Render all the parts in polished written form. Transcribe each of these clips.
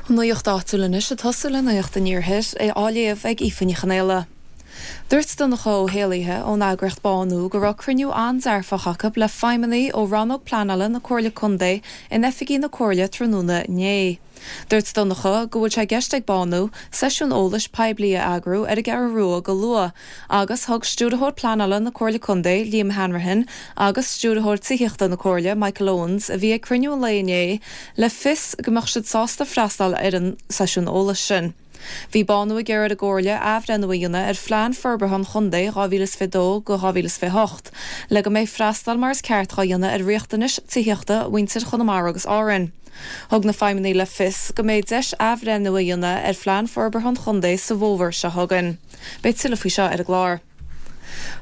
An nuacht áitiúil anois ag tosú le Nuacht an Iarthair, á léamh ag Aoife Ní Chonaola. Dúirt Donncha Ó hÉallaithe ón eagraíocht Bánú go raibh cruinniú an-dearfach acu le feidhmeannaigh ó Rannóg Pleanála na Comhairle Contae in oifigí na Comhairle tráthnóna inné. Dúirt Donncha go bhfuil sé i gceist ag Bánú seisiún eolais poiblí a eagrú ar an gCeathrú Rua go luath agus thug Stiúrthóir Pleanála na Comhairle Contae, Liam Hanrahan, agus Stiúrthóir Tithíochta na Comhairle, Michael Owens, a bhí ag cruinniú an lae inné, le fios go mbeadh siad sásta freastal ar an seisiún eolais sin. Bhí Bánú ag iarraidh ar an gComhairle athbhreithniú a dhéanamh ar Phlean Forbartha an Chontae 2022-2028 le go mbeidh freastal mar is ceart dhá dhéanamh ar riachtanais tithíochta mhuintir Chonamara agus Árann. Thug na feidhmeannaigh le fios go mbeidh deis athbhreithniú a dhéanamh ar Phlean Forbartha an Chontae sa bhfómhar seo chugainn. Beidh tuilleadh faoi seo ar an gclár.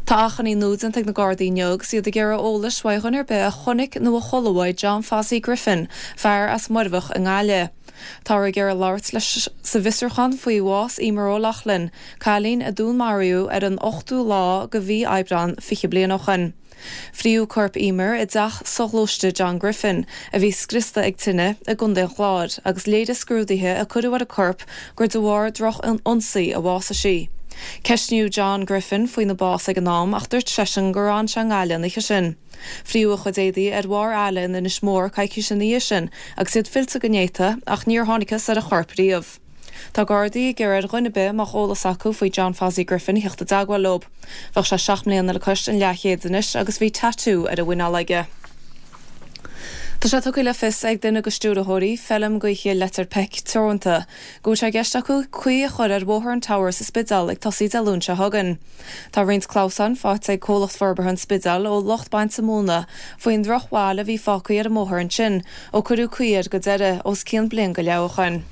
Tá achainí nua déanta ag na Gardaí inniu agus iad ag iarraidh eolais uaidh dhuine ar bith a chonaic nó a chuala uaidh John Fozzie Griffin, fear as Muirbheach i nGaillimh. Táthar ag iarraidh labhairt leis sa bhfiosrúchán faoi bhás Eimear O'Loughlin, cailín a dúnmaraíodh ar an ochtú lá de mhí Aibreán 20 bliain ó shoin. Fríodh corp Eimear i dteach soghluaiste John Griffin, a bhí scriosta ag tine, i gContae an Chláir, agus léirigh scrúduithe a cuireadh ar an corp gur de bharr droch-ionsaí a bhásaigh sí. Ceistníodh John Griffin faoina bás ag an am ach dúirt seisean gur fhan sé i nGaillimh an oíche sin. Fríodh a chuid éadaí ar bharr aille in Inis Mór coicís ina dhiaidh sin agus iad fillte go néata ach níor thángthas ar a chorp riamh. Tá Gardaí ag iarraidh ar dhuine ar bith a mbeadh eolas acu faoi John Fozzie Griffin a theacht i dteagmháil leo. Bheadh sé 7 mbliana le cois an leathchéid anois agus bhí tatú ar a mhuineál aige. Tá sé tugtha le fios ag duine de stiúrthóirí Feilm Gaoithe Leitir Peic Teoranta go bhfuil sé i gceist acu caoi a chur ar Bhóthar an Tower sa Spidéal ag tosaí Dé Luain seo chugainn. Tá roinnt clamhsáin faighte ag comhlacht forbartha an Spidéil ó lucht bainte móna faoin ndrochbhail a bhí fágtha ar an mbóthar ansin ó cuireadh caoi air go deireadh os cionn bliain go leith ó shoin.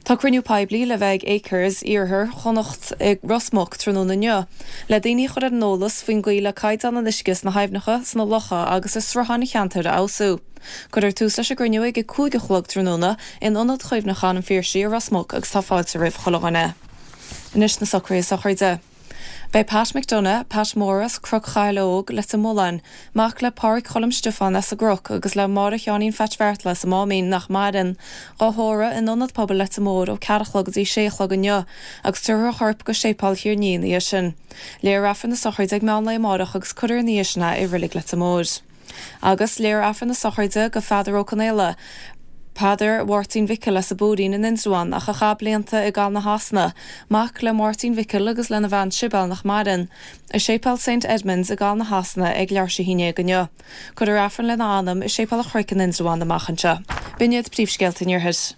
Tá cruinniú poiblí le bheith ag Acres, Iarthar Chonnacht i Ros Muc tráthnóna inniu, le daoine a chur ar an eolas faoin gcaoi le caighdeán an uisce sna haibhneacha, sna locha agus i srutháin an cheantair a fheabhsú. Cuirfear tús leis an gcruinniú ag 5 a chlog tráthnóna in Ionad Chuimhneacháin an Phiarsaigh i Ros Muc agus tá fáilte roimh chuile dhuine. Anois na socruithe sochraide. Beidh Pat McDonagh, Pat Mór as Cnoc Chathail Óg, Leitir Mealláin, mac le Pádhraic Choilm Stiofáin as an gCnoc agus le Máire Sheáinín Pheait Bheartla as an Máimín, nach maireann, dhá thórramh in Ionad Pobail Leitir Móir ó ceathair a chlog go dtí sé a chlog inniu agus tabharfar a chorp go Séipéal Thír an Fhia ina dhiaidh sin. Léifear Aifreann na sochraide ag meán lae amárach agus cuirfear ina dhiaidh sin é i Reilig Leitir Móir. Agus léifear Aifreann na sochraide do Pheadar Ó Conaola, Peadar Mháirtín Mhicil as an bPúirín in Indreabhán ach a chaith blianta i gCaladh na Shasana, mac le Máirtín Mhicil agus lena bhean Sibéal nach maireann, i Séipéal Saint Edmund's i gCaladh na Shasana ag leathuair tar éis a haon déag inniu. Cuirfear Aifreann lena anam i Séipéal an Chnoic in Indreabhán amach anseo. B'in iad príomhscéalta an Iarthair.